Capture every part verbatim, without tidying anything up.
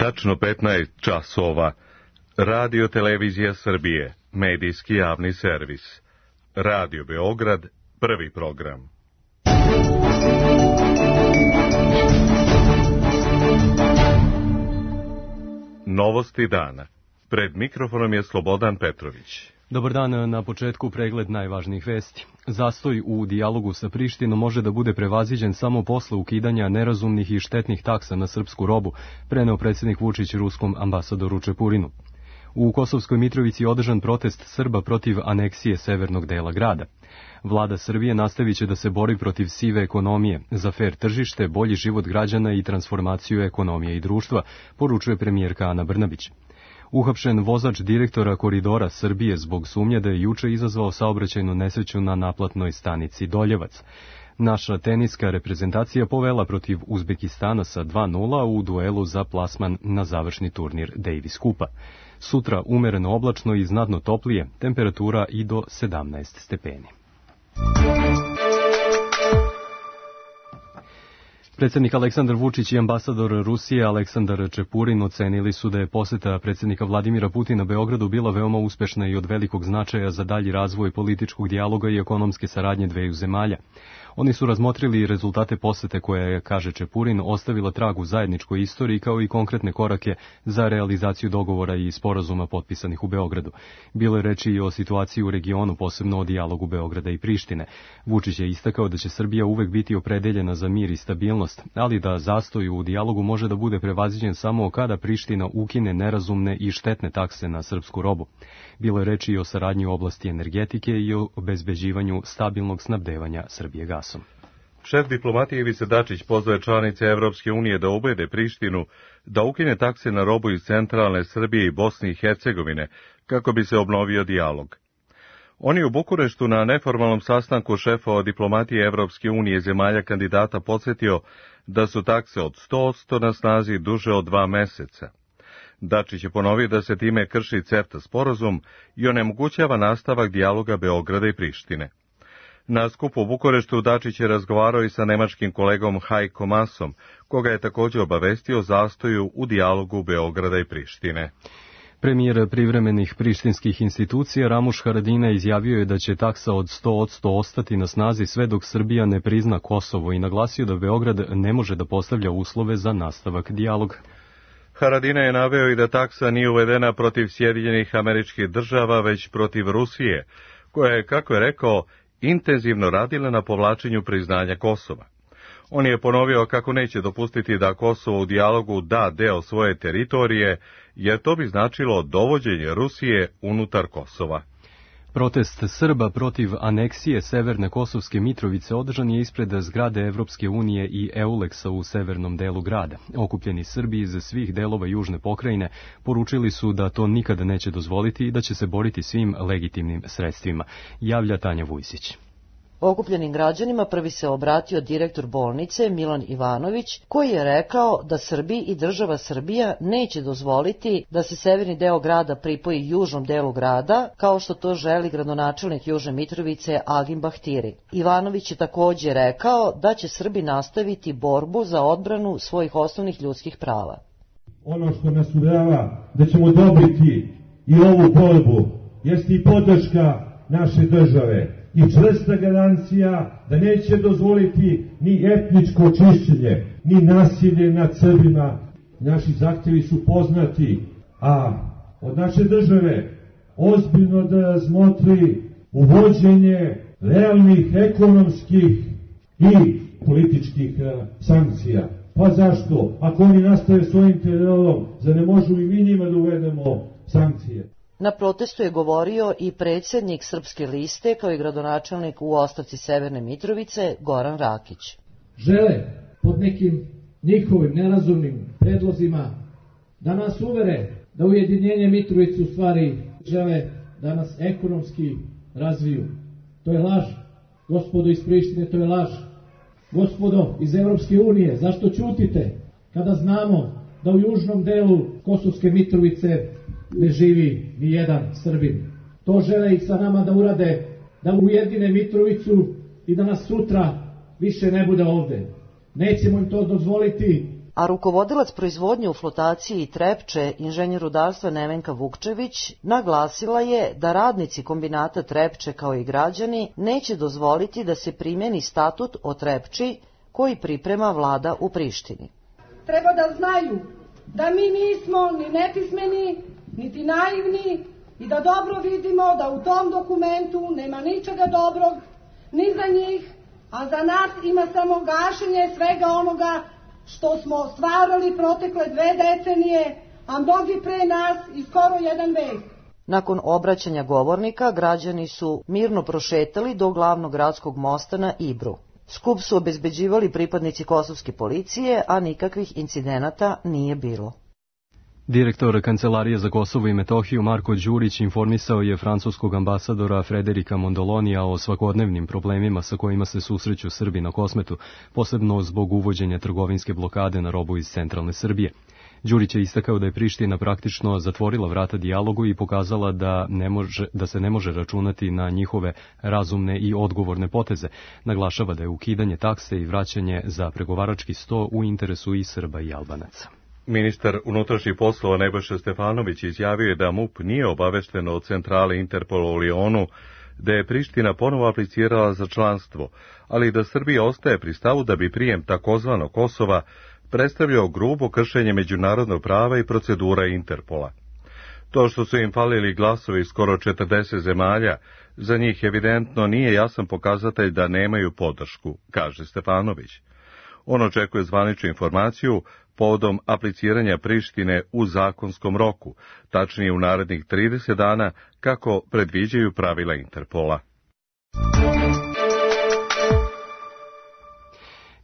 Tačno petnaest časova. Radio Televizija Srbije, medijski javni servis. Radio Beograd, prvi program. Novosti dana. Pred mikrofonom je Slobodan Petrović. Dobar dan, na početku pregled najvažnijih vesti. Zastoj u dijalogu sa Prištinom može da bude prevaziđen samo posle ukidanja nerazumnih i štetnih taksa na srpsku robu, preneo predsjednik Vučić ruskom ambasadoru Čepurinu. U Kosovskoj Mitrovici je održan protest Srba protiv aneksije severnog dela grada. Vlada Srbije nastavit će da se bori protiv sive ekonomije, za fer tržište, bolji život građana i transformaciju ekonomije i društva, poručuje premijerka Ana Brnabić. Uhapšen vozač direktora Koridora Srbije zbog sumnje da je juče izazvao saobraćajnu nesreću na naplatnoj stanici Doljevac. Naša teniska reprezentacija povela protiv Uzbekistana sa dva nula u duelu za plasman na završni turnir Davis Kupa. Sutra umereno oblačno i znatno toplije, temperatura i do sedamnaest stepeni. Predsjednik Aleksandar Vučić i ambasador Rusije Aleksandar Čepurin ocenili su da je poseta predsjednika Vladimira Putina Beogradu bila veoma uspešna i od velikog značaja za dalji razvoj političkog dijaloga i ekonomske saradnje dveju zemalja. Oni su razmotrili rezultate posete koja je, kaže Čepurin, ostavila trag u zajedničkoj istoriji kao i konkretne korake za realizaciju dogovora i sporazuma potpisanih u Beogradu. Bilo je reči i o situaciji u regionu, posebno o dijalogu Beograda i Prištine. Vučić je istakao da će Srbija uvek biti opredeljena za mir i stabilnost, ali da zastoj u dijalogu može da bude prevaziđen samo kada Priština ukine nerazumne i štetne takse na srpsku robu. Bilo je reči i o saradnji u oblasti energetike i o obezbeđivanju stabilnog snabdevanja Srbije gasom. Šef diplomatije Ivica Dačić pozvao je članice Evropske unije da ubede Prištinu da ukine takse na robu iz centralne Srbije i Bosne i Hercegovine kako bi se obnovio dijalog. On je u Bukureštu na neformalnom sastanku šefova diplomatije Evropske unije zemalja kandidata podsjetio da su takse od sto posto na snazi duže od dva meseca. Dačić je ponovio da se time krši CEFTA sporazum i onemogućava nastavak dijaloga Beograda i Prištine. Na skupu u Bukureštu Dačić je razgovarao i sa nemačkim kolegom Heiko Maasom, koga je također obavestio o zastoju u dijalogu Beograda i Prištine. Premijer privremenih prištinskih institucija Ramuš Haradinaj izjavio je da će taksa od sto posto ostati na snazi sve dok Srbija ne prizna Kosovo i naglasio da Beograd ne može da postavlja uslove za nastavak dijaloga. Haradinaj je naveo i da taksa nije uvedena protiv Sjedinjenih Američkih Država, već protiv Rusije, koja je, kako je rekao, intenzivno radila na povlačenju priznanja Kosova. On je ponovio kako neće dopustiti da Kosovo u dijalogu da deo svoje teritorije, jer to bi značilo dovođenje Rusije unutar Kosova. Protest Srba protiv aneksije Severne Kosovske Mitrovice održan je ispred zgrade Evropske unije i Euleksa u severnom delu grada. Okupljeni Srbi iz svih delova južne pokrajine poručili su da to nikada neće dozvoliti i da će se boriti svim legitimnim sredstvima, javlja Tanja Vujsić. Okupljenim građanima prvi se obratio direktor bolnice Milan Ivanović, koji je rekao da Srbi i država Srbija neće dozvoliti da se severni deo grada pripoji južnom delu grada, kao što to želi gradonačelnik Južne Mitrovice Agim Bahtiri. Ivanović je također rekao da će Srbi nastaviti borbu za odbranu svojih osnovnih ljudskih prava. Ono što nas uverava da ćemo dobiti i ovu borbu jeste i podrška naše države i čvrsta garancija da neće dozvoliti ni etničko čišćenje, ni nasilje nad Srbima. Naši zahtjevi su poznati, a od naše države ozbiljno da razmotri uvođenje realnih ekonomskih i političkih sankcija. Pa zašto? Ako oni nastave svojim terorom, zar ne možemo i mi njima da uvedemo sankcije? Na protestu je govorio i predsjednik Srpske liste, kao i gradonačelnik u ostavci Severne Mitrovice, Goran Rakić. Žele pod nekim njihovim nerazumnim predlozima da nas uvere da ujedinjenje Mitrovice u stvari žele da nas ekonomski razviju. To je laž. Gospodo iz Prištine, to je laž. Gospodo iz Evropske unije, zašto ćutite kada znamo da u južnom delu Kosovske Mitrovice ne živi ni jedan Srbin? To žele i sa nama da urade, da ujedine Mitrovicu i da nas sutra više ne bude ovde. Nećemo im to dozvoliti. a rukovodilac proizvodnje u flotaciji Trepče, inženjer rudarstva Nevenka Vukčević, naglasila je da radnici kombinata Trepče kao i građani neće dozvoliti da se primjeni statut o Trepči koji priprema vlada u Prištini. Treba da znaju da mi nismo ni nepismeni, niti naivni i da dobro vidimo da u tom dokumentu nema ničega dobrog ni za njih, a za nas ima samo gašenje svega onoga što smo ostvarili protekle dve decenije, a mnogi pre nas i skoro jedan vek. Nakon obraćanja govornika, građani su mirno prošetali do glavnog gradskog mosta na Ibru. Skup su obezbeđivali pripadnici kosovske policije, a nikakvih incidenata nije bilo. Direktor Kancelarije za Kosovo i Metohiju Marko Đurić informisao je francuskog ambasadora Frederika Mondolonija o svakodnevnim problemima sa kojima se susreću Srbi na Kosmetu, posebno zbog uvođenja trgovinske blokade na robu iz centralne Srbije. Đurić je istakao da je Priština praktično zatvorila vrata dijalogu i pokazala da, ne može, da se ne može računati na njihove razumne i odgovorne poteze. Naglašava da je ukidanje takse i vraćanje za pregovarački sto u interesu i Srba i Albanaca. Ministar unutrašnjih poslova Nebojša Stefanović izjavio je da MUP nije obavešten od centrale Interpola u Lionu da je Priština ponovo aplicirala za članstvo, ali da Srbija ostaje pri stavu da bi prijem takozvanog Kosova predstavljao grubo kršenje međunarodnog prava i procedura Interpola. To što su im falili glasovi skoro četrdeset zemalja, za njih evidentno nije jasan pokazatelj da nemaju podršku, kaže Stefanović. On očekuje zvaničnu informaciju povodom apliciranja Prištine u zakonskom roku, tačnije u narednih trideset dana, kako predviđaju pravila Interpola.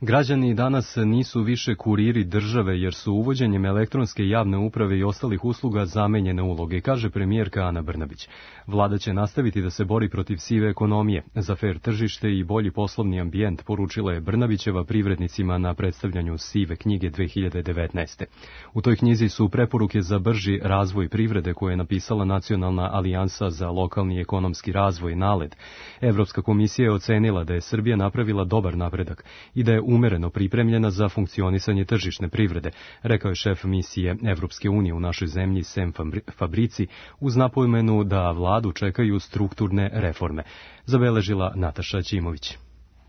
Građani danas nisu više kuriri države jer su uvođenjem elektronske javne uprave i ostalih usluga zamenjene uloge, kaže premijerka Ana Brnabić. Vlada će nastaviti da se bori protiv sive ekonomije, za fer tržište i bolji poslovni ambijent, poručila je Brnabićeva privrednicima na predstavljanju sive knjige dve hiljade devetnaeste. U toj knjizi su preporuke za brži razvoj privrede koje je napisala Nacionalna alijansa za lokalni ekonomski razvoj NALED. Evropska komisija je ocenila da je Srbija napravila dobar napredak i da je umereno pripremljena za funkcionisanje tržišne privrede, rekao je šef misije Evropske unije u našoj zemlji Sem Fabrici, uz napomenu da vladu čekaju strukturne reforme, zabeležila Nataša Ćimović.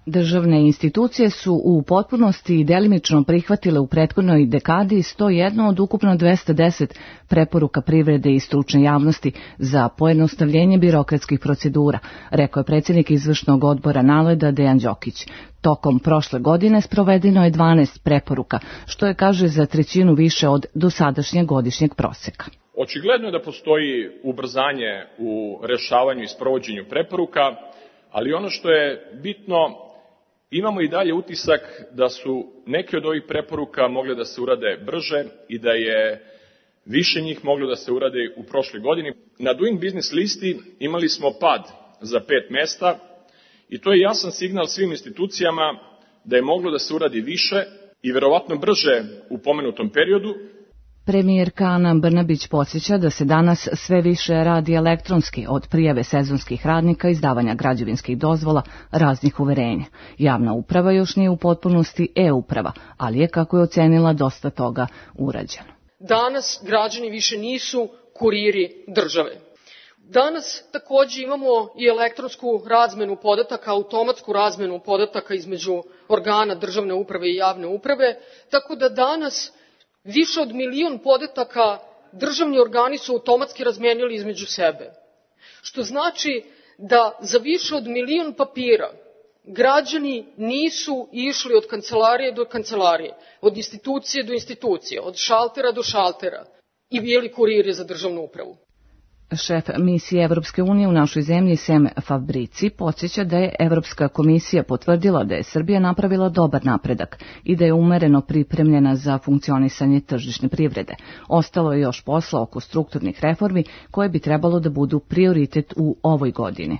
Državne institucije su u potpunosti i delimično prihvatile u prethodnoj dekadi sto jedan od ukupno dvesta deset preporuka privrede i stručne javnosti za pojednostavljenje birokratskih procedura, rekao je predsjednik izvršnog odbora NALED-a Dejan Đokić. Tokom prošle godine sprovedeno je dvanaest preporuka, što je, kaže, za trećinu više od dosadašnjeg godišnjeg proseka. Očigledno je da postoji ubrzanje u rešavanju i sprovođenju preporuka, ali ono što je bitno, imamo i dalje utisak da su neke od ovih preporuka mogle da se urade brže i da je više njih moglo da se urade u prošloj godini. Na Doing Business listi imali smo pad za pet mesta i to je jasan signal svim institucijama da je moglo da se uradi više i verovatno brže u pomenutom periodu. Premijerka Ana Brnabić podsjeća da se danas sve više radi elektronski, od prijave sezonskih radnika, izdavanja građevinskih dozvola, raznih uverenja. Javna uprava još nije u potpunosti e-uprava, ali je, kako je ocenila, dosta toga urađeno. Danas građani više nisu kuriri države. Danas takođe imamo i elektronsku razmenu podataka, automatsku razmenu podataka između organa državne uprave i javne uprave, tako da danas više od milion podataka državni organi su automatski razmenili između sebe. Što znači da za više od milion papira građani nisu išli od kancelarije do kancelarije, od institucije do institucije, od šaltera do šaltera i bili kuriri za državnu upravu. Šef misije Evropske unije u našoj zemlji Sem Fabrici podsjeća da je Evropska komisija potvrdila da je Srbija napravila dobar napredak i da je umereno pripremljena za funkcionisanje tržišne privrede. Ostalo je još posla oko strukturnih reformi koje bi trebalo da budu prioritet u ovoj godini.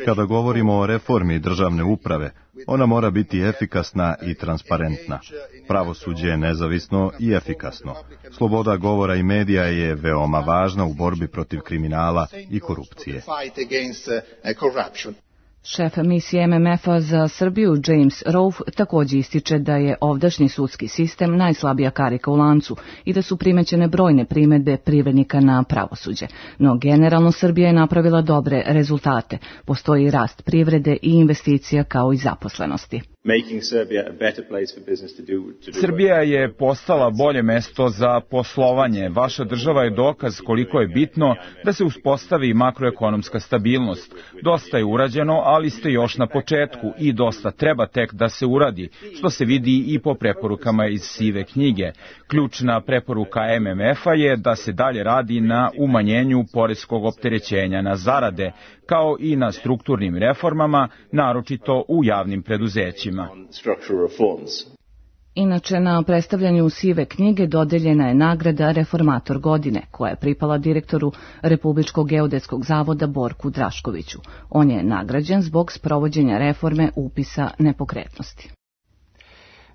Kada govorimo o reformi državne uprave, ona mora biti efikasna i transparentna. Pravosuđe je nezavisno i efikasno. Sloboda govora i medija je veoma važna u borbi protiv kriminala i korupcije. Šef misije M M F-a za Srbiju James Rolfe također ističe da je ovdašnji sudski sistem najslabija karika u lancu i da su primećene brojne primedbe privrednika na pravosuđe. No generalno Srbija je napravila dobre rezultate. Postoji rast privrede i investicija kao i zaposlenosti. Srbija je postala bolje mesto za poslovanje. Vaša država je dokaz koliko je bitno da se uspostavi makroekonomska stabilnost. Dosta je urađeno, ali ste još na početku i dosta treba tek da se uradi, što se vidi i po preporukama iz sive knjige. Ključna preporuka M M F-a je da se dalje radi na umanjenju poreskog opterećenja na zarade, kao i na strukturnim reformama, naročito u javnim preduzećima. Inače, na predstavljanju sive knjige dodeljena je nagrada Reformator godine, koja je pripala direktoru Republičkog geodetskog zavoda Borku Draškoviću. On je nagrađen zbog sprovođenja reforme upisa nepokretnosti.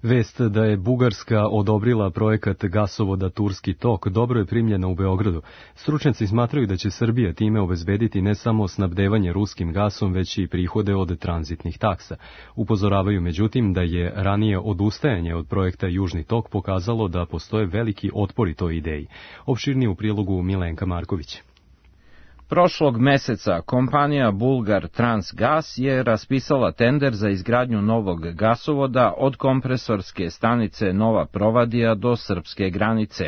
Vest da je Bugarska odobrila projekat gasovoda Turski tok dobro je primljena u Beogradu. Stručnjaci smatraju da će Srbija time obezbediti ne samo snabdevanje ruskim gasom, već i prihode od tranzitnih taksa. Upozoravaju međutim da je ranije odustajanje od projekta Južni tok pokazalo da postoje veliki otpori toj ideji. Opširnije u prilogu Milenka Marković. Prošlog meseca kompanija Bulgar Transgas je raspisala tender za izgradnju novog gasovoda od kompresorske stanice Nova Provadija do srpske granice.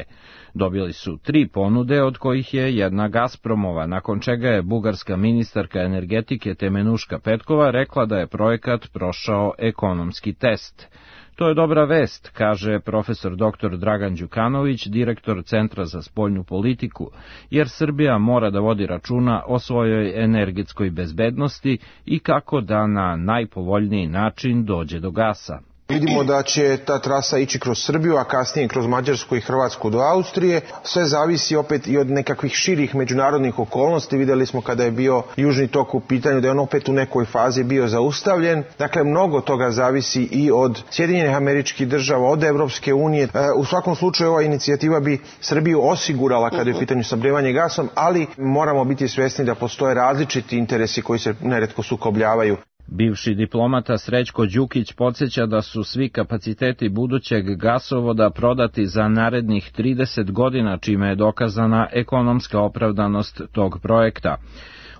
Dobili su tri ponude, od kojih je jedna Gazpromova, nakon čega je bugarska ministarka energetike Temenuška Petkova rekla da je projekat prošao ekonomski test. To je dobra vest, kaže profesor doktor Dragan Đukanović, direktor Centra za spoljnu politiku, jer Srbija mora da vodi računa o svojoj energetskoj bezbednosti i kako da na najpovoljniji način dođe do gasa. Vidimo da će ta trasa ići kroz Srbiju, a kasnije kroz Mađarsku i Hrvatsku do Austrije. Sve zavisi opet i od nekakvih širih međunarodnih okolnosti. Vidjeli smo kada je bio Južni tok u pitanju da je on opet u nekoj fazi bio zaustavljen. Dakle, mnogo toga zavisi i od Sjedinjenih Američkih Država, od Evropske unije. U svakom slučaju ova inicijativa bi Srbiju osigurala kada je u pitanju snabdevanje gasom, ali moramo biti svjesni da postoje različiti interesi koji se neretko sukobljavaju. Bivši diplomata Srećko Đukić podsjeća da su svi kapaciteti budućeg gasovoda prodati za narednih trideset godina, čime je dokazana ekonomska opravdanost tog projekta.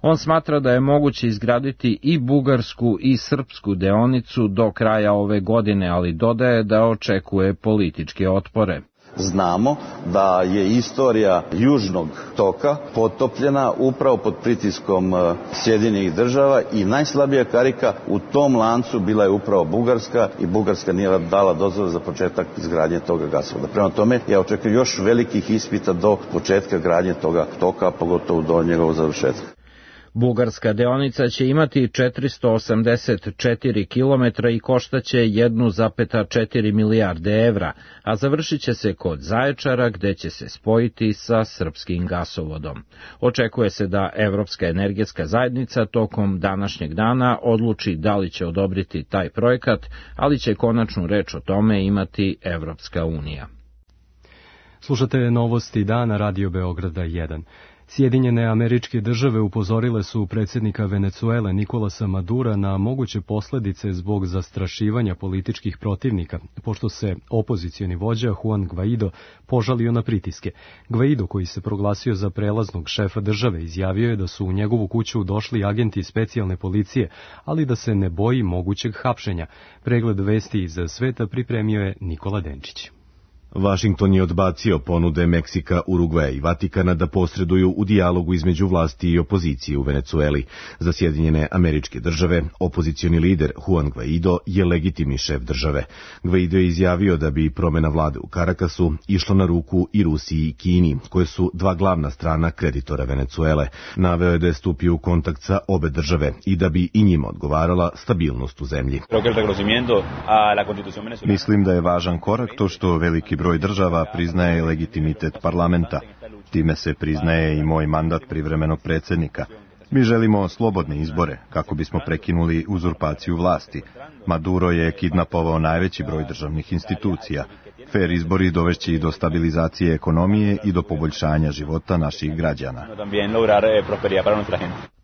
On smatra da je moguće izgraditi i bugarsku i srpsku deonicu do kraja ove godine, ali dodaje da očekuje političke otpore. Znamo da je istorija Južnog toka potopljena upravo pod pritiskom Sjedinjenih Država i najslabija karika u tom lancu bila je upravo Bugarska i Bugarska nije dala dozvolu za početak izgradnje toga gasovoda. Prema tome, ja očekujem još velikih ispita do početka gradnje toga toka, pogotovo do njegovog završetka. Bugarska deonica će imati četiristo osamdeset četiri kilometra i koštaće jedan zarez četiri milijarde evra, a završit će se kod Zaječara gde će se spojiti sa srpskim gasovodom. Očekuje se da Evropska energetska zajednica tokom današnjeg dana odluči da li će odobriti taj projekat, ali će konačnu reč o tome imati Evropska unija. Slušate novosti dana Radio Beograda jedan. Sjedinjene Američke Države upozorile su predsjednika Venecuele Nikolasa Madura na moguće posljedice zbog zastrašivanja političkih protivnika, pošto se opozicioni vođa Juan Guaido požalio na pritiske. Guaido, koji se proglasio za prelaznog šefa države, izjavio je da su u njegovu kuću došli agenti specijalne policije, ali da se ne boji mogućeg hapšenja. Pregled vesti iz sveta pripremio je Nikola Denčić. Vašington je odbacio ponude Meksika, Urugvaja i Vatikana da posreduju u dijalogu između vlasti i opozicije u Venecueli. Za Sjedinjene Američke Države, opozicioni lider Juan Guaido je legitimni šef države. Guaido je izjavio da bi promjena vlade u Karakasu išla na ruku i Rusiji i Kini, koje su dva glavna strana kreditora Venecuele. Naveo je da je stupio u kontakt sa obe države i da bi i njima odgovarala stabilnost u zemlji. Mislim da je važan korak to što veliki broj država priznaje legitimitet parlamenta. Time se priznaje i moj mandat privremenog predsjednika. Mi želimo slobodne izbore, kako bismo prekinuli uzurpaciju vlasti. Maduro je kidnapovao najveći broj državnih institucija. Fer izbori dovešće i do stabilizacije ekonomije i do poboljšanja života naših građana.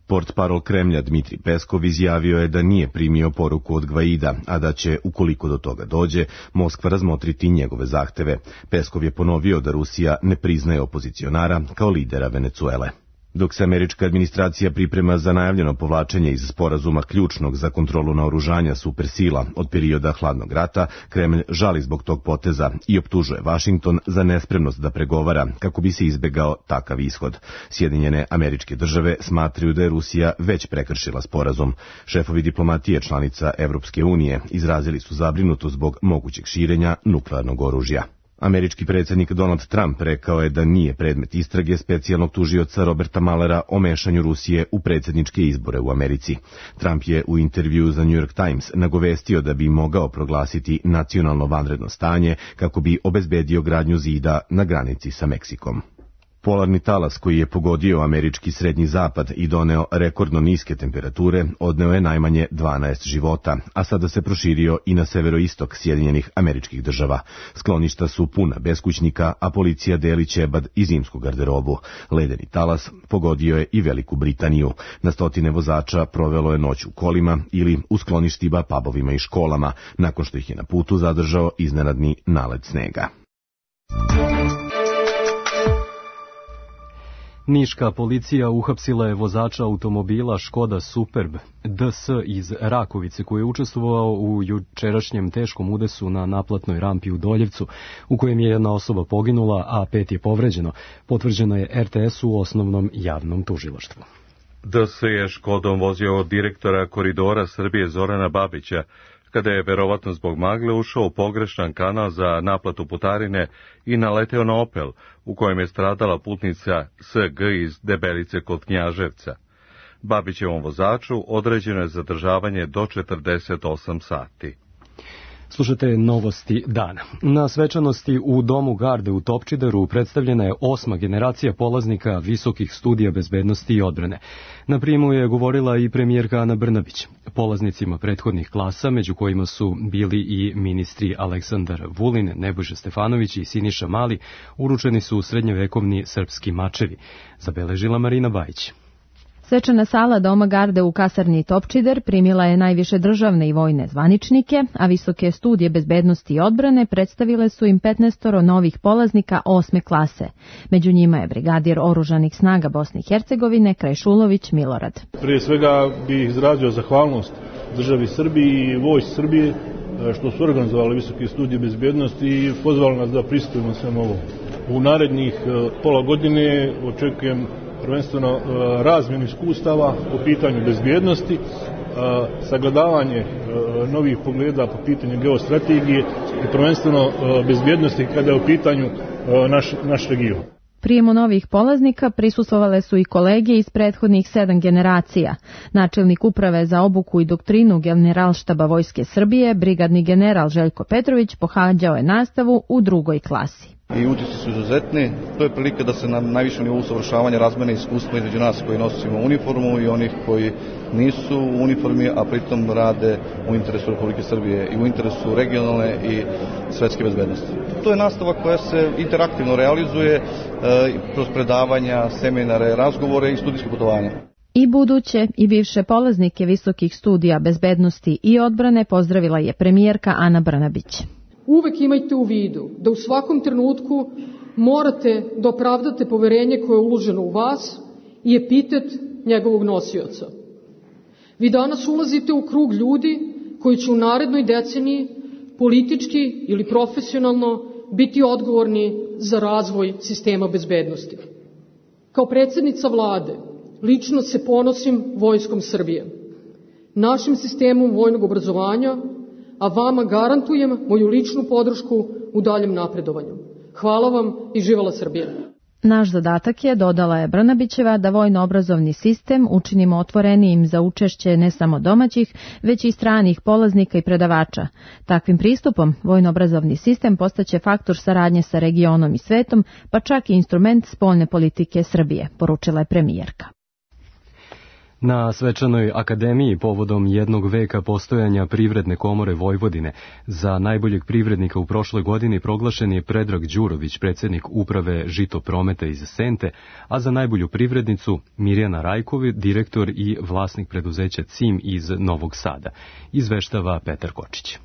Portparol Kremlja Dmitri Peskov izjavio je da nije primio poruku od Gvaida, a da će, ukoliko do toga dođe, Moskva razmotriti njegove zahteve. Peskov je ponovio da Rusija ne priznaje opozicionara kao lidera Venecuele. Dok se američka administracija priprema za najavljeno povlačenje iz sporazuma ključnog za kontrolu naoružanja supersila od perioda hladnog rata, Kremlj žali zbog tog poteza i optužuje Vašington za nespremnost da pregovara kako bi se izbegao takav ishod. Sjedinjene Američke Države smatraju da je Rusija već prekršila sporazum. Šefovi diplomatije članica Evropske unije izrazili su zabrinutost zbog mogućeg širenja nuklearnog oružja. Američki predsjednik Donald Trump rekao je da nije predmet istrage specijalnog tužioca Roberta Muellera o mešanju Rusije u predsjedničke izbore u Americi. Trump je u intervjuu za New York Times nagovestio da bi mogao proglasiti nacionalno vanredno stanje kako bi obezbedio gradnju zida na granici sa Meksikom. Polarni talas koji je pogodio američki srednji zapad i doneo rekordno niske temperature odneo je najmanje dvanaest života, a sada se proširio i na severoistok Sjedinjenih Američkih Država. Skloništa su puna beskućnika, a policija deli ćebad i zimsku garderobu. Ledeni talas pogodio je i Veliku Britaniju. Na stotine vozača provelo je noć u kolima ili u skloništima, pubovima i školama, nakon što ih je na putu zadržao iznenadni nalet snega. Niška policija uhapsila je vozača automobila Škoda Superb D S iz Rakovice koji je učestvovao u jučerašnjem teškom udesu na naplatnoj rampi u Doljevcu, u kojem je jedna osoba poginula, a pet je povređeno. Potvrđeno je R T S u osnovnom javnom tužilaštvu. D S je Škodom vozio od direktora Koridora Srbije Zorana Babića, kada je verovatno zbog magle ušao u pogrešan kanal za naplatu putarine i naleteo na Opel, u kojem je stradala putnica S G iz Debelice kod Knjaževca. Babićevom vozaču određeno je zadržavanje do četrdeset osam sati. Slušajte novosti dana. Na svečanosti u Domu garde u Topčideru predstavljena je osma generacija polaznika visokih studija bezbednosti i odbrane. Na prijemu je govorila i premijerka Ana Brnabić. Polaznicima prethodnih klasa, među kojima su bili i ministri Aleksandar Vulin, Nebojša Stefanović i Siniša Mali, uručeni su srednjovekovni srpski mačevi, zabeležila Marina Bajić. Svečana sala Doma garde u kasarni Topčider primila je najviše državne i vojne zvaničnike, a visoke studije bezbednosti i odbrane predstavile su im petnaestoro novih polaznika osme klase. Među njima je brigadir oružanih snaga Bosne i Hercegovine Krajšulović Milorad. Prije svega bih izrazio zahvalnost državi Srbiji i vojsci Srbije što su organizovali visoke studije bezbednosti i pozvali nas da pristupimo svemu ovom. U narednih pola godine očekujem prvenstveno razmjenu iskustava po pitanju bezbjednosti, sagledavanje novih pogleda po pitanju geostrategije i prvenstveno bezbjednosti kada je u pitanju naš, naš region. Prijemu novih polaznika prisustvovale su i kolege iz prethodnih sedam generacija. Načelnik uprave za obuku i doktrinu Generalštaba Vojske Srbije, brigadni general Željko Petrović, pohađao je nastavu u drugoj klasi. I utisci su izuzetni. To je prilika da se na najvišem nivou usavršavanja razmene iskustva između nas koji nosimo uniformu i onih koji nisu u uniformi, a pritom rade u interesu Republike Srbije i u interesu regionalne i svetske bezbednosti. To je nastava koja se interaktivno realizuje e, kroz predavanja, seminare, razgovore i studijske putovanja. I buduće i bivše polaznike visokih studija bezbednosti i odbrane pozdravila je premijerka Ana Brnabić. Uvek imajte u vidu da u svakom trenutku morate da opravdate poverenje koje je uloženo u vas i epitet njegovog nosioca. Vi danas ulazite u krug ljudi koji će u narednoj deceniji politički ili profesionalno biti odgovorni za razvoj sistema bezbednosti. Kao predsjednica vlade lično se ponosim Vojskom Srbije, našim sistemom vojnog obrazovanja, a vama garantujem moju ličnu podršku u daljem napredovanju. Hvala vam i živela Srbija. Naš zadatak je, dodala je Brnabićeva, da vojno-obrazovni sistem učinimo otvorenijim za učešće ne samo domaćih, već i stranih polaznika i predavača. Takvim pristupom vojno-obrazovni sistem postaće faktor saradnje sa regionom i svetom, pa čak i instrument spoljne politike Srbije, poručila je premijerka. Na svečanoj akademiji povodom jednog veka postojanja Privredne komore Vojvodine za najboljeg privrednika u prošloj godini proglašen je Predrag Đurović, predsjednik uprave Žitoprometa iz Sente, a za najbolju privrednicu Mirjana Rajković, direktor i vlasnik preduzeća C I M iz Novog Sada. Izveštava Petar Kočić.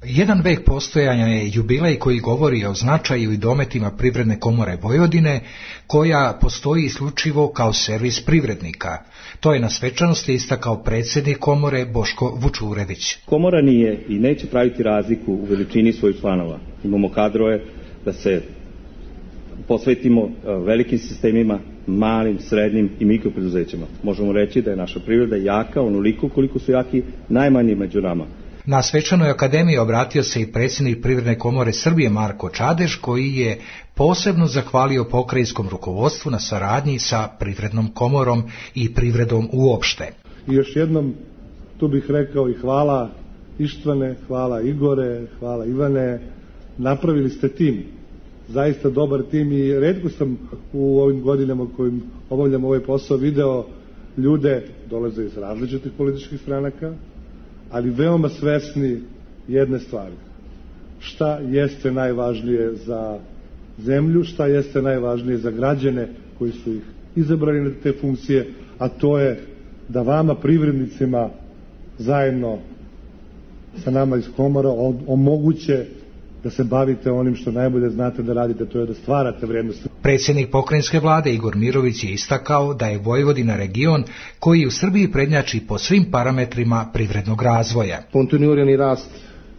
Jedan vek postojanja je jubilej koji govori o značaju i dometima Privredne komore Vojvodine, koja postoji isključivo kao servis privrednika. To je na svečanosti istakao predsjednik komore Boško Vučurević. Komora nije i neće praviti razliku u veličini svojih članova. Imamo kadrove da se posvetimo velikim sistemima, malim, srednjim i mikropreduzećima. Možemo reći da je naša privreda jaka onoliko koliko su jaki najmanji među nama. Na svečanoj akademiji obratio se i predsjednik Privredne komore Srbije Marko Čadež, koji je posebno zahvalio pokrajinskom rukovodstvu na saradnji sa Privrednom komorom i privredom uopšte. I još jednom tu bih rekao i hvala Ištvane, hvala Igore, hvala Ivane, napravili ste tim, zaista dobar tim i retko sam u ovim godinama kojim obavljam ovaj posao video ljude, dolaze iz različitih političkih stranaka, ali veoma svesni jedne stvari. Šta jeste najvažnije za zemlju, šta jeste najvažnije za građane koji su ih izabrali na te funkcije, a to je da vama, privrednicima, zajedno sa nama iz komora omoguće da se bavite onim što najbolje znate da radite, to je da stvarate vrijednosti. Predsjednik pokrajinske vlade Igor Mirović je istakao da je Vojvodina region koji u Srbiji prednjači po svim parametrima privrednog razvoja. Kontinuirani rast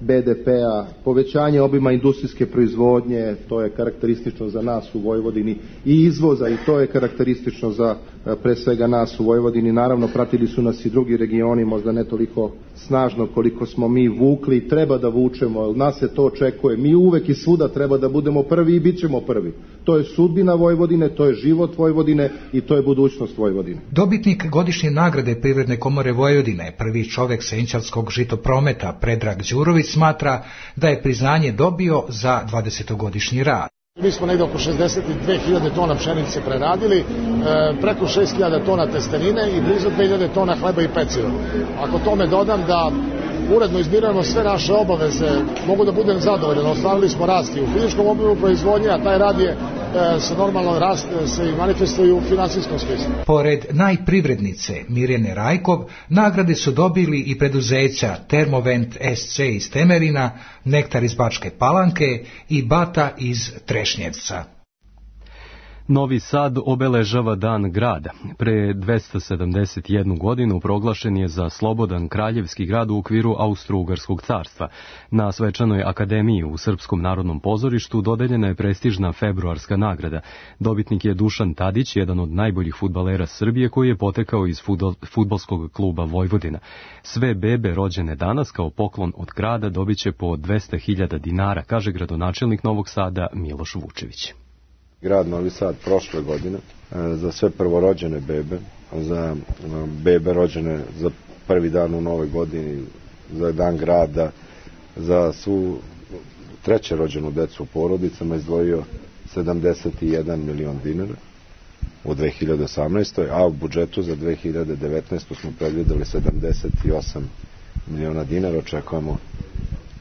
be de pea, povećanje obima industrijske proizvodnje, to je karakteristično za nas u Vojvodini, i izvoza, i to je karakteristično za pre svega nas u Vojvodini. Naravno, pratili su nas i drugi regioni, možda ne toliko snažno koliko smo mi vukli, treba da vučemo, nas se to očekuje. Mi uvek i svuda treba da budemo prvi i bit ćemo prvi. To je sudbina Vojvodine, to je život Vojvodine i to je budućnost Vojvodine. Dobitnik godišnje nagrade Privredne komore Vojvodine, prvi čovjek Senčarskog žitoprometa Predrag Đurović, smatra da je priznanje dobio za dvadesetogodišnji rad. Mi smo negdje oko šezdeset dve hiljade tona pšenice preradili, e, preko šest hiljada tona testenine i blizu dve hiljade tona hleba i peciva. Ako tome dodam da uredno izmirujemo sve naše obaveze, mogu da budem zadovoljan. Ostvarili smo rast i u fizičkom obimu proizvodnje, a taj rad je e, se normalno rast se i manifestuje u finansijskom smislu. Pored najprivrednice Mirjane Rajkov, nagrade su dobili i preduzeća Termovent es ce iz Temerina, Nektar iz Bačke Palanke i Bata iz Trešnjevca. Novi Sad obeležava Dan grada. Pre dvesta sedamdeset jednu godinu proglašen je za slobodan kraljevski grad u okviru Austro-Ugarskog carstva. Na svečanoj akademiji u Srpskom narodnom pozorištu dodeljena je prestižna februarska nagrada. Dobitnik je Dušan Tadić, jedan od najboljih fudbalera Srbije koji je potekao iz fudbalskog kluba Vojvodina. Sve bebe rođene danas kao poklon od grada dobit će po dvesta hiljada dinara, kaže gradonačelnik Novog Sada Miloš Vučević. Grad Novi Sad prošle godine za sve prvorođene bebe, za bebe rođene za prvi dan u novoj godini, za dan grada, za svu treće rođenu decu u porodicama izdvojio sedamdeset jedan milion dinara u dve hiljade osamnaestoj. a u budžetu za dve hiljade devetnaestu. smo predvideli sedamdeset osam miliona dinara. Očekujemo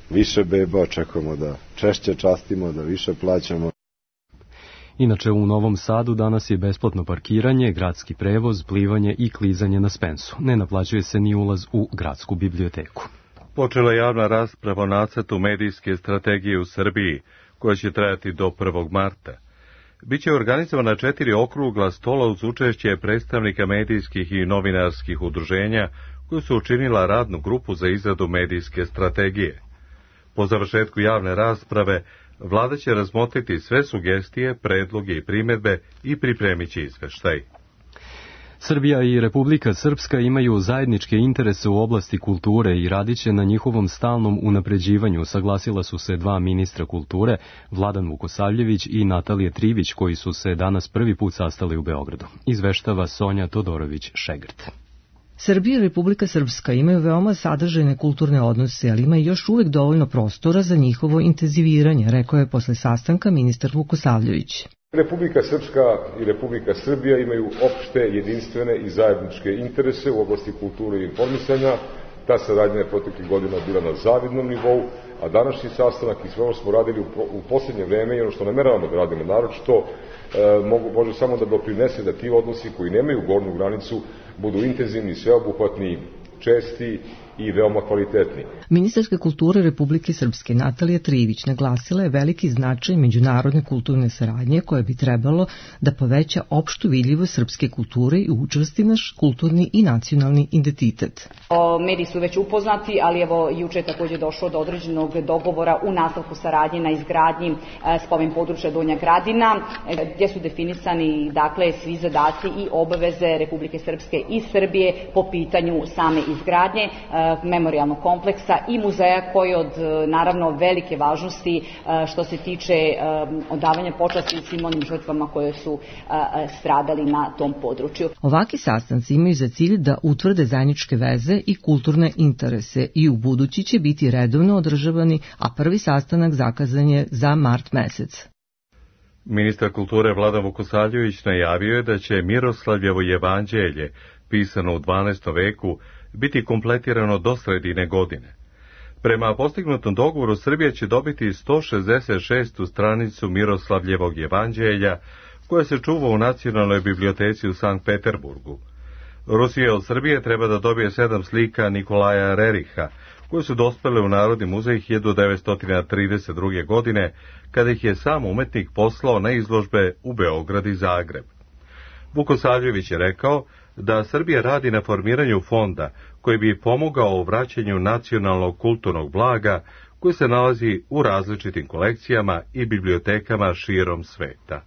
više beba, očekujemo da češće častimo, da više plaćamo. Inače, u Novom Sadu danas je besplatno parkiranje, gradski prevoz, plivanje i klizanje na Spensu. Ne naplaćuje se ni ulaz u gradsku biblioteku. Počela je javna rasprava o nacrtu medijske strategije u Srbiji, koja će trajati do prvog marta. Biće organizovana četiri okrugla stola uz učešće predstavnika medijskih i novinarskih udruženja, koji su učinila radnu grupu za izradu medijske strategije. Po završetku javne rasprave, Vlada će razmotriti sve sugestije, predloge i primjedbe i pripremit će izveštaj. Srbija i Republika Srpska imaju zajedničke interese u oblasti kulture i radit će na njihovom stalnom unapređivanju, saglasila su se dva ministra kulture, Vladan Vukosavljević i Natalija Trivić, koji su se danas prvi put sastali u Beogradu. Izveštava Sonja Todorović-Šegrt. Srbija i Republika Srpska imaju veoma sadržajne kulturne odnose, ali ima još uvek dovoljno prostora za njihovo intenziviranje, rekao je posle sastanka ministar Vukosavljević. Republika Srpska i Republika Srbija imaju opšte, jedinstvene i zajedničke interese u oblasti kulture i informisanja. Ta saradnja je proteklih godina bila na zavidnom nivou, a današnji sastanak i sve ono smo radili u posljednje vreme i ono što nameravamo da radimo naročito, mogu, može samo da doprinese da ti odnosi koji nemaju gornju granicu budu intenzivni, sveobuhvatni, česti i veoma kvalitetni. Ministarka kulture Republike Srpske Natalija Trivić naglasila je veliki značaj međunarodne kulturne saradnje koja bi trebalo da poveća opštu vidljivost srpske kulture i učvrsti naš kulturni i nacionalni identitet. O, mediji su već upoznati, ali evo juče je također došlo do određenog dogovora u nastavku saradnje na izgradnji e, spomen područja Donja Gradina, e, gdje su definisani dakle svi zadaci i obaveze Republike Srpske i Srbije po pitanju same izgradnje e, memorijalnog kompleksa i muzeja koji od naravno velike važnosti što se tiče odavanja počasti svim onim žrtvama koje su stradali na tom području. Ovaki sastanci imaju za cilj da utvrde zajedničke veze i kulturne interese i u budući će biti redovno održavani, a prvi sastanak zakazan je za mart mesec. Ministar kulture Vladan Vukosavljević najavio je da će Miroslavljevo jevanđelje, pisano u dvanaestom veku, biti kompletirano do sredine godine. Prema postignutom dogovoru, Srbija će dobiti sto šezdeset šestu stranicu Miroslavljevog jevanđelja, koja se čuva u Nacionalnoj biblioteci u Sankt Peterburgu. Rusija od Srbije treba da dobije sedam slika Nikolaja Reriha, koje su dospele u Narodni muzej hiljadu devetsto trideset druge. godine, kada ih je sam umetnik poslao na izložbe u Beograd i Zagreb. Vukosavljević je rekao da Srbija radi na formiranju fonda koji bi pomogao u vraćanju nacionalnog kulturnog blaga koji se nalazi u različitim kolekcijama i bibliotekama širom sveta.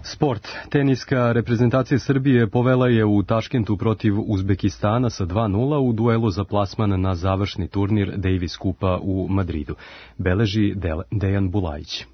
Sport. Teniska reprezentacija Srbije povela je u Taškentu protiv Uzbekistana sa dva nula u duelu za plasman na završni turnir Davis Kupa u Madridu. Beleži Dejan Bulajić.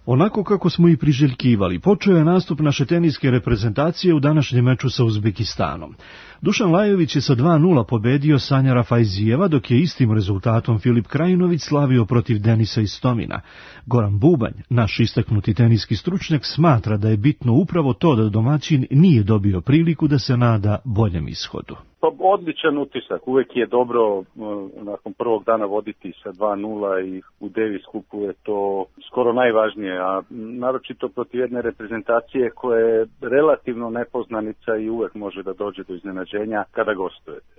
Onako kako smo i priželjkivali, počeo je nastup naše teniske reprezentacije u današnjem meču sa Uzbekistanom. Dušan Lajović je sa dva nula pobedio Sanjara Fajzijeva, dok je istim rezultatom Filip Krajinović slavio protiv Denisa Istomina. Goran Bubanj, naš istaknuti teniski stručnjak, smatra da je bitno upravo to da domaćin nije dobio priliku da se nada boljem ishodu. Pa odličan utisak, uvek je dobro nakon prvog dana voditi sa dva nula i u Davis Cupu je to skoro najvažnije, a naročito protiv jedne reprezentacije koja je relativno nepoznanica i uvek može da dođe do iznenađenja kada gostujete.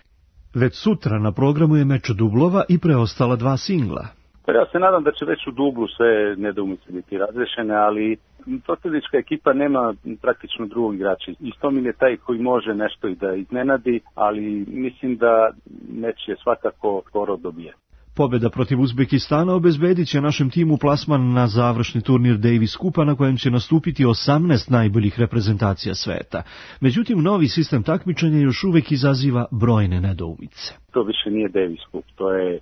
Već sutra na programu je meč dublova i preostala dva singla. Pa ja se nadam da će već u dublu sve nedoumice biti razrešene, ali protivnička ekipa nema praktično drugog igrača. Istomin je taj koji može nešto i da iznenadi, ali mislim da meč je svakako skoro dobije. Pobjeda protiv Uzbekistana obezbedit će našem timu plasman na završni turnir Davis Kupa na kojem će nastupiti osamnaest najboljih reprezentacija sveta. Međutim, novi sistem takmičenja još uvek izaziva brojne nedoumice. To više nije Davis Cup, to je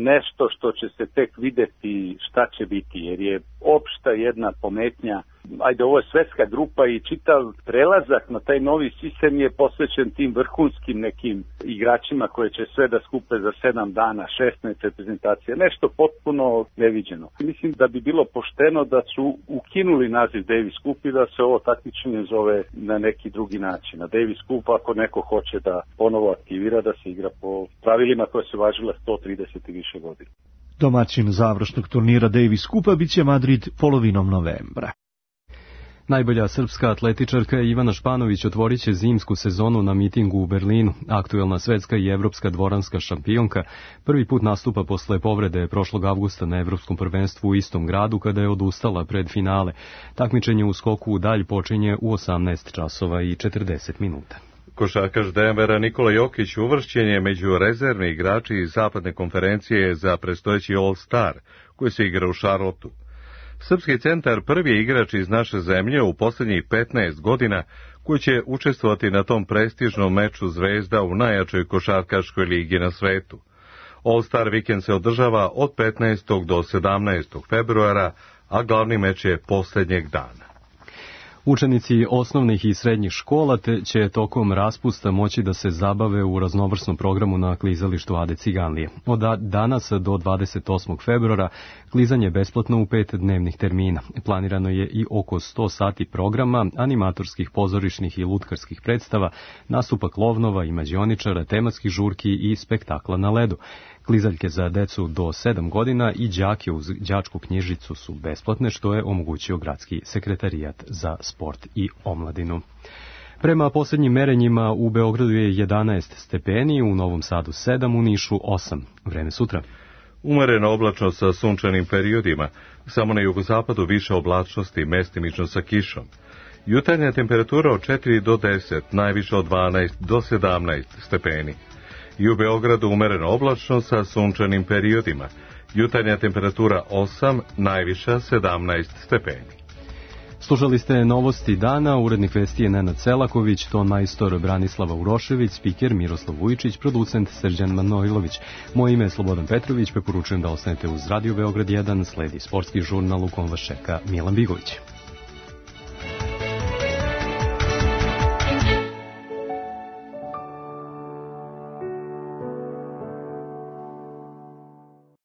nešto što će se tek videti šta će biti, jer je opšta jedna pometnja. Ajde, ovo je svetska grupa i čitav prelazak na taj novi sistem je posvećen tim vrhunskim nekim igračima koje će sve da skupe za sedam dana, šesnaest reprezentacija, nešto potpuno neviđeno. Mislim da bi bilo pošteno da su ukinuli naziv Davis Cup i da se ovo takmičenje zove na neki drugi način. Na Davis Cup, ako neko hoće da ponovo aktivira, da se igra po pravilima koje su važile sto trideset i više godina. Domaćin završnog turnira Davis Cupa biće Madrid polovinom novembra. Najbolja srpska atletičarka Ivana Španović otvorit će zimsku sezonu na mitingu u Berlinu. Aktuelna svetska i evropska dvoranska šampionka prvi put nastupa posle povrede prošlog avgusta na evropskom prvenstvu u istom gradu kada je odustala pred finale. Takmičenje u skoku u dalj počinje u osamnaest časova i četrdeset minuta. Košarkaš Denvera Nikola Jokić uvršćen je među rezervni igrači iz zapadne konferencije za predstojeći All-Star, koji se igra u Charlotteu. Srpski centar prvi je igrač iz naše zemlje u posljednjih petnaest godina koji će učestvovati na tom prestižnom meču zvezda u najjačoj košarkaškoj ligi na svetu. All-Star vikend se održava od petnaestog do sedamnaestog februara, a glavni meč je posljednjeg dana. Učenici osnovnih i srednjih škola te će tokom raspusta moći da se zabave u raznovrsnom programu na klizalištu Ade Ciganlije. Od danas do dvadeset osmog februara klizanje je besplatno u pet dnevnih termina. Planirano je i oko sto sati programa, animatorskih, pozorišnih i lutkarskih predstava, nastupa klovnova i mađioničara, tematskih žurki i spektakla na ledu. Klizaljke za decu do sedam godina i đake uz đačku knjižicu su besplatne, što je omogućio Gradski sekretarijat za sport i omladinu. Prema posljednjim merenjima u Beogradu je jedanaest stepeni, u Novom Sadu sedam, u Nišu osam. Vreme sutra. Umereno oblačno sa sunčanim periodima, samo na jugozapadu više oblačnosti, mestimično sa kišom. Jutarnja temperatura od četiri do deset, najviše od dvanaest do sedamnaest stepeni. I u Beogradu umereno oblačno sa sunčanim periodima. Jutarnja temperatura osam, najviša sedamnaest stepeni. Slušali ste novosti dana, urednik vesti je Nenad Selaković, ton majstor Branislava Urošević, spiker Miroslav Vujičić, producent Srđan Manojlović. Moje ime je Slobodan Petrović, preporučujem da ostanete uz Radio Beograd jedan, sledi sportski žurnal u kom vas čeka Milan Bigović.